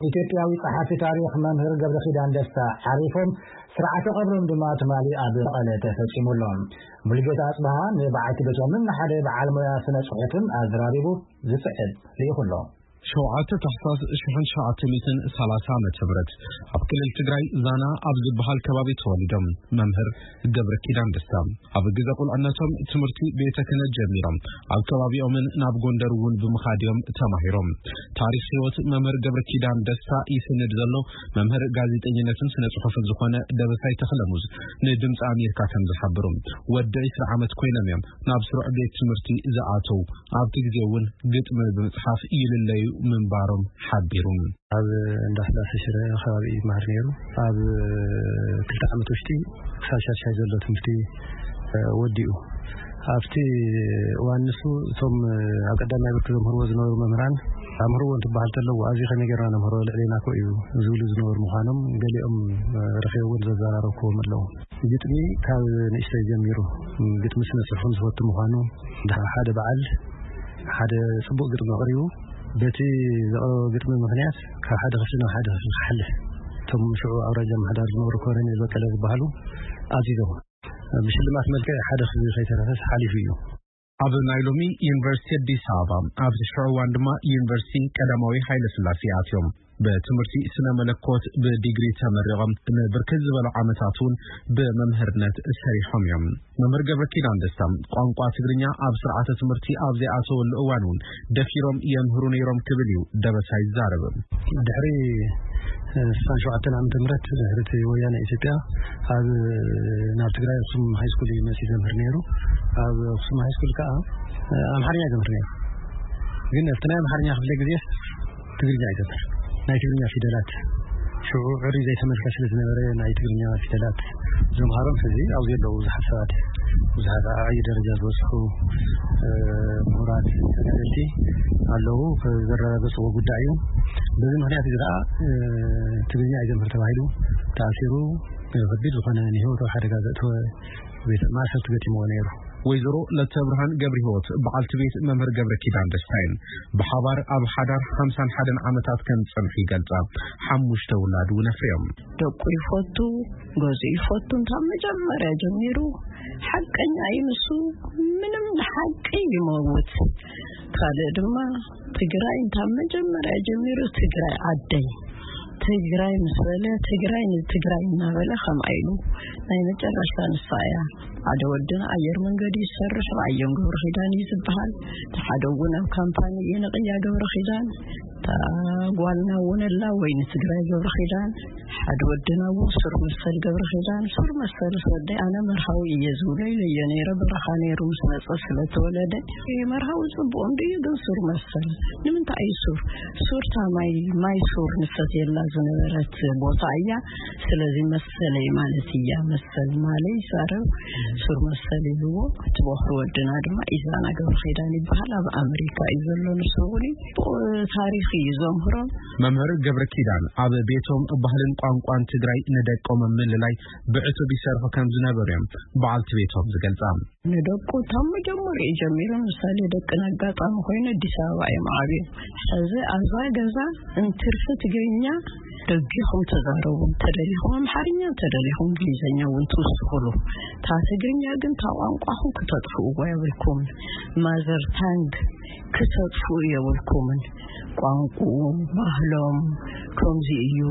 ኢትዮጵያዊ ጸሓፊ ታሪኽ መምህር ገብረኪዳን ደስታ ዓሪፎም፣ ስርዓተ ቀብሮም ድማ ትማሊ ኣብ መቐለ ተፈጺሙ ኣሎ። ሙሉጌታ ኣጽብሃ ንበዓልቲ ቤቶምን ንሓደ በዓል ሞያ ስነ ጽሑፍን ኣዘራሪቡ ዝጽሕፍ ልኢኹ ኣሎ። ሸውዓተ ታሕሳስ ሽሕን ትሽዓተ ሚእትን ሰላሳ ዓመተ ምህረት ኣብ ክልል ትግራይ ዛና ኣብ ዝበሃል ከባቢ ተወሊዶም መምህር ገብረ ኪዳን ደስታ ኣብ ግዘ ቁልዕነቶም ትምህርቲ ቤተ ክህነት ጀሚሮም ኣብ ከባቢኦምን ናብ ጎንደር እውን ብምኻድ እዮም ተማሂሮም። ታሪኽ ህይወት መምህር ገብረ ኪዳን ደስታ ይስንድ ዘሎ መምህር ጋዜጠኝነትን ስነ ጽሑፍን ዝኾነ ደበሳይ ተኽለሙዝ ንድምፂ ኣሜሪካ ከም ዝሓበሩ፣ ወዲ ዕስራ ዓመት ኮይኖም እዮም ናብ ስሩዕ ቤት ትምህርቲ ዝኣተው። ኣብቲ ግዜ እውን ግጥሚ ብምፅሓፍ ይልለዩ ምንባሮም ሓቢሩ። ኣብ እንዳ ስላሴ ሽረ ከባቢ እዩ ይመሃር ነይሩ። ኣብ ክልተ ዓመት ውሽጢ ክሳብ ሻድሻይ ዘሎ ትምህርቲ፣ እ፣ ወዲኡ። ኣብቲ እዋን ንሱ እቶም ኣብ ቀዳማይ ብርኪ ዘምህርዎ ዝነበሩ መምህራን፣ "ኣምህርዎ" እንትበሃል ተለዎ፣ "ኣብዚ ከመይ ጌርና ነምህሮ? ልዕሌና እኮ እዩ" ዝብሉ ዝነበሩ ምዃኖም ገሊኦም፣ እ፣ ረኺበ እውን ዘዘራረብክዎም ኣለዉ። ግጥሚ ካብ ንእሽተይ ጀሚሩ ግጥሚ ስነ ጽሑፍ ከም ዝፈቱ ምዃኑ፣ ሓደ በዓል ሓደ ጽቡቕ ግጥሚ ኣቕሪቡ፣ በቲ ዘቕረቦ ግጥሚ ምኽንያት ካብ ሓደ ክፍሊ ናብ ሓደ ክፍሊ ክሓልፍ፣ እቶም ሽዑ ኣውራጃ ምምሕዳር ዝነበሩ ኮሎኔል በቀለ ዝበሃሉ ኣዚዞም። ብሽልማት መልክዕ ሓደ ክፍሊ ከይተረፈስ ሓሊፉ እዩ። ኣብ ናይ ሎሚ ዩኒቨርሲቲ ኣዲስ ኣበባ፣ ኣብቲ ሽዑ እዋን ድማ ዩኒቨርሲቲ ቀዳማዊ ሃይለ ስላሴ ኣትዮም። ብትምህርቲ ስነ መለኮት ብዲግሪ ተመሪቖም ንብርክት ዝበሉ ዓመታት እውን ብመምህርነት ሰሪሖም እዮም። መምህር ገብረ ኪዳን ደስታ ቋንቋ ትግርኛ ኣብ ስርዓተ ትምህርቲ ኣብ ዘይኣተወሉ እዋን እውን ደፊሮም የምህሩ ነይሮም ክብል እዩ ደበሳይ ዝዛረብ። ድሕሪ ስሳን ሸውዓተን ዓመተ ምህረት ድሕሪ እቲ ወያነ ኢትዮጵያ ኣብ ናብ ትግራይ ኣክሱም ሃይስኩል እዩ መፂኡ ዘምህር ነይሩ። ኣብ ኣክሱም ሃይስኩል ከዓ ኣምሓርኛ ዘምህር ነይሩ። ግን ኣብቲ ናይ ኣምሓርኛ ክፍለ ግዜ ትግርኛ እዩ ዘምህር። ናይ ትግርኛ ፊደላት ሽዑ ዕሪ ዘይተመልከ ስለ ዝነበረ ናይ ትግርኛ ፊደላት ዘምሃሮም ሕዚ ኣብዚ ዘለዉ ብዙሓት ሰባት፣ ብዙሓት ኣብ ዓብዪ ደረጃ ዝበፅሑ፣ እ፣ ምሁራት ተጋደልቲ ኣለዉ። ዘረጋገፅዎ ጉዳይ እዩ። በዚ ምኽንያት እዚ ከዓ፣ እ፣ ትግርኛ እዩ ዘምህር ተባሂሉ ተኣሲሩ፣ እ፣ ከቢድ ዝኾነ ንህይወቱ ኣብ ሓደጋ ዘእተወ ቤት ማእሰርቲ ገጢምዎ ነይሩ። ወይዘሮ ለተብርሃን ገብረ ህይወት በዓልቲ ቤት መምህር ገብረ ኪዳን ደስታ እየን። ብሓባር ኣብ ሓዳር ሓምሳን ሓደን ዓመታት ከም ዝጸንሑ ይገልጻ። ሓሙሽተ ውላድ እውን ኣፍርዮም። ደቁ ይፈቱ፣ ገዝኡ ይፈቱ። እንታ መጀመርያ ጀሚሩ ሓቀኛ እዩ ንሱ። ምንም ንሓቂ ይመውት። ካልእ ድማ ትግራይ እንታ መጀመርያ ጀሚሩ ትግራይ ዓደይ፣ ትግራይ ምስ በለ ትግራይ ንትግራይ እናበለ ከምኣ ኢሉ ናይ መጨረሽታ ንሳ እያ። ሓደ ወድና ኣየር መንገዲ ይሰርሕ፣ ኣዮም ገብረ ኪዳን እዩ ዝበሃል። እቲ ሓደ እውን ኣብ ካምፓኒ እየ ነቕያ ገብረ ኪዳን፣ እታ ጓልና እውን ኣላ ወይኒ ትግራይ ገብረ ኪዳን። ሓደ ወድና እውን ሱር መሰል ገብረ ኪዳን፣ ሱር መሰል ወደይ ኣነ መርሃዊ እየ ዝብሎ ኢለዮ ነይረ። በረኻ ነይሩ ምስ መጸ ስለ ተወለደ መርሃዊ ጽቡቕ እንድዩ፣ ግን ሱር መሰል ንምንታይ እዩ ሱር? ሱር እታ ማይ፣ ማይ ሱር ንሰትየላ ዝነበረት ቦታ እያ። ስለዚ መሰለይ ማለት እያ። መሰል ማለይ ይዛረብ፣ ሱር መሰል ይብዎ። እቲ ቦኽሪ ወድና ድማ ኢዛና ገብረ ኪዳን ይበሃል። ኣብ ኣመሪካ እዩ ዘሎ ንሱ እውን። ብኡ ታሪኽ እዩ ዘምህሮም። መምህር ገብረ ኪዳን ኣብ ቤቶም ባህልን ቋንቋን ትግራይ ንደቆም ኣብ ምልላይ ብዕቱብ ይሰርሑ ከም ዝነበሩ እዮም በዓልቲ ቤቶም ዝገልጻ። ንደቁ ካብ መጀመሪኡ ጀሚሩ፣ ምሳሌ ደቅን ኣጋጣሚ ኮይኑ ኣዲስ ኣበባ እዮም ዓብዮም። ሕዚ ኣብዛ ገዛ እንትርፊ ትግርኛ ደጊኹም ተዛረቡ፣ እንተደሊኹም ኣምሓርኛ፣ እንተደሊኹም እንግሊዝኛ እውን ትውስኹሉ። እታ ትግርኛ ግን እታ ቋንቋኹም ክተጥፍእዎ የብልኩም። ማዘር ታንግ ክተጥፍኡ የብልኩምን። ቋንቋኡ፣ ባህሎም ከምዚ እዩ።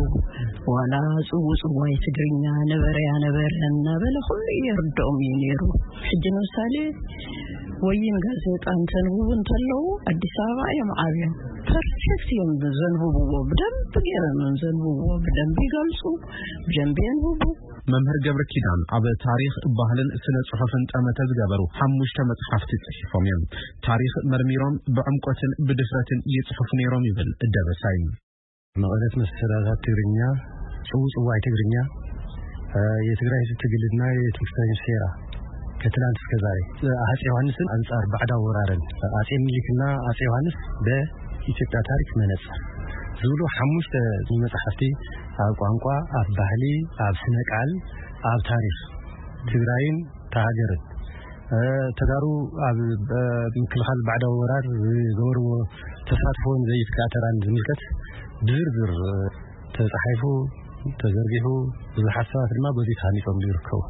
ዋላ ጽውጽዋይ ትግርኛ ነበረ ያነበረ እናበለ ኩሉ የርድኦም እዩ ነይሩ። ሕጂ ንምሳሌ ወይን ጋዜጣ እንተንብቡ እንተለዉ ኣዲስ ኣበባ እዮም ዓብዮም። ፐርፌክት እዮም ዘንብብዎ፣ ብደንብ ገይሮም እዮም ዘንብብዎ። ብደንብ ይገልጹ፣ ብደንብ የንብቡ። መምህር ገብረ ኪዳን ኣብ ታሪኽ፣ ባህልን ስነ ጽሑፍን ጠመተ ዝገበሩ ሓሙሽተ መጽሓፍቲ ጽሒፎም እዮም። ታሪኽ መርሚሮም ብዕምቆትን ብድፍረትን ይጽሕፉ ነይሮም ይብል ደበሳይ። መቐለት መሰላታት ትግርኛ፣ ጽውጽዋይ ትግርኛ፣ እ፣ የትግራይ ህዝብ ትግልና የትንፍታኝ ሴራ ከትላንት እስከ ዛሬ፣ እ፣ አጼ ዮሐንስን አንጻር ባዕዳ ወራርን፣ አጼ ምኒልክና አጼ ዮሐንስ በኢትዮጵያ ታሪክ መነጽር ዝብሉ ሓሙሽተ መጽሓፍቲ ኣብ ቋንቋ፣ ኣብ ባህሊ፣ ኣብ ስነ ቃል፣ ኣብ ታሪኽ ትግራይን እታ ሃገርን፣ እ፣ ተጋሩ ኣብ፣ እ፣ ምክልኻል ባዕዳዊ ወራር ዝገበርዎ ተሳትፎን ዘይትካእ ተራን ዝምልከት ብዝርዝር ተጻሒፉ፣ ተዘርጊሑ፣ ብዙሓት ሰባት ድማ በዚ ተሃኒጾም ይርከቡ።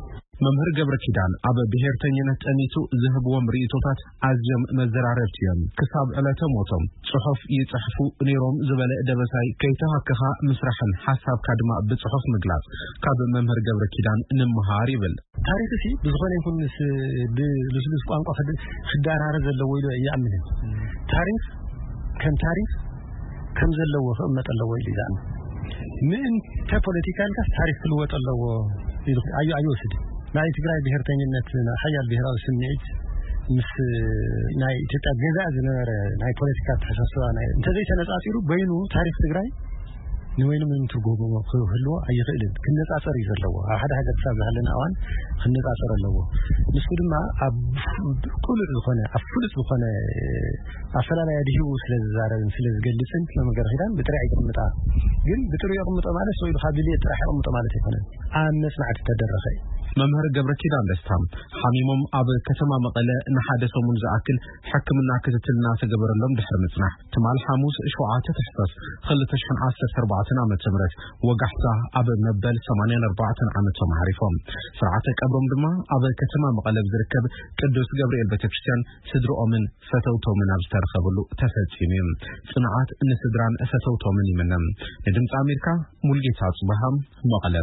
መምህር ገብረ ኪዳን ኣብ ብሔርተኝነት ጠኒሱ ዝህብዎም ርእይቶታት ኣዝዮም መዘራረብቲ እዮም። ክሳብ ዕለተ ሞቶም ጽሑፍ ይጽሕፉ ነይሮም ዝበለ ደበሳይ፣ ከይተሃከኻ ምስራሕን ሓሳብካ ድማ ብጽሑፍ ምግላጽ ካብ መምህር ገብረ ኪዳን ንምሃር ይብል። ታሪኽ ሲ ብዝኾነ ይኹን ምስ ብልስሉስ ቋንቋ ክድ-፣ ክዳራረ ዘለዎ ኢሉ ይኣምንን። ታሪኽ ከም ታሪኽ ከም ዘለዎ ክቕመጥ ኣለዎ ኢሉ ይዛን። ምእንተ ፖለቲካ ኢልካስ ታሪኽ ክልወጥ ኣለዎ ኢሉ ኣዩ-፣ ኣይወስድ። ናይ ትግራይ ብሔርተኝነት፣ ናይ ሓያል ብሔራዊ ስምዒት ምስ ናይ ኢትዮጵያ ገዛእ ዝነበረ ናይ ፖለቲካ ኣተሓሳስባ ናይ፣ እንተዘይተነጻጺሩ በይኑ ታሪኽ ትግራይ ንበይኑ ምንም ትርጉም ክህልዎ ኣይኽእልን። ክነጻጸር እዩ ዘለዎ። ኣብ ሓደ ሃገር ክሳብ ዝሃለና እዋን ክነጻጸር ኣለዎ። ንሱ ድማ ኣብ ቅሉዕ ዝኾነ፣ ኣብ ፍሉጥ ዝኾነ ኣፈላላይ ኣድሂቡ ስለ ዝዛረብን ስለ ዝገልጽን መምህር ገብረ ኪዳን ብጥሪዕ ይቕምጣ። ግን ብጥሪዕ ይቕምጦ ማለት ሰው ኢሉ ካብ ድልየት ጥራሕ ይቕምጦ ማለት ኣይኮነን። ኣብ መጽናዕቲ ተደረኸ እዩ። መምህር ገብረ ኪዳን ደስታ ሓሚሞም ኣብ ከተማ መቐለ ንሓደ ሰሙን ዝኣክል ሕክምና ክትትል እናተገበረሎም ድሕሪ ምጽናሕ፣ ትማል ሓሙስ ሸውዓተ ታሕሳስ ክልተ ሽሕን ዓሰርተ ኣርባዕተን ዓመተ ምህረት ወጋሕታ ኣብ መበል ሰማንያን ኣርባዕተን ዓመቶም ዓሪፎም። ስርዓተ ቀብሮም ድማ ኣብ ከተማ መቐለ ዝርከብ ቅዱስ ገብርኤል ቤተክርስትያን ስድርኦምን ፈተውቶምን ኣብ ዝተረኸብሉ ተፈጺሙ እዩ። ጽንዓት ንስድራን ፈተውቶምን ይምነ። ንድምፂ ኣሜሪካ ሙልጌታ ጽባሃ፣ መቐለ።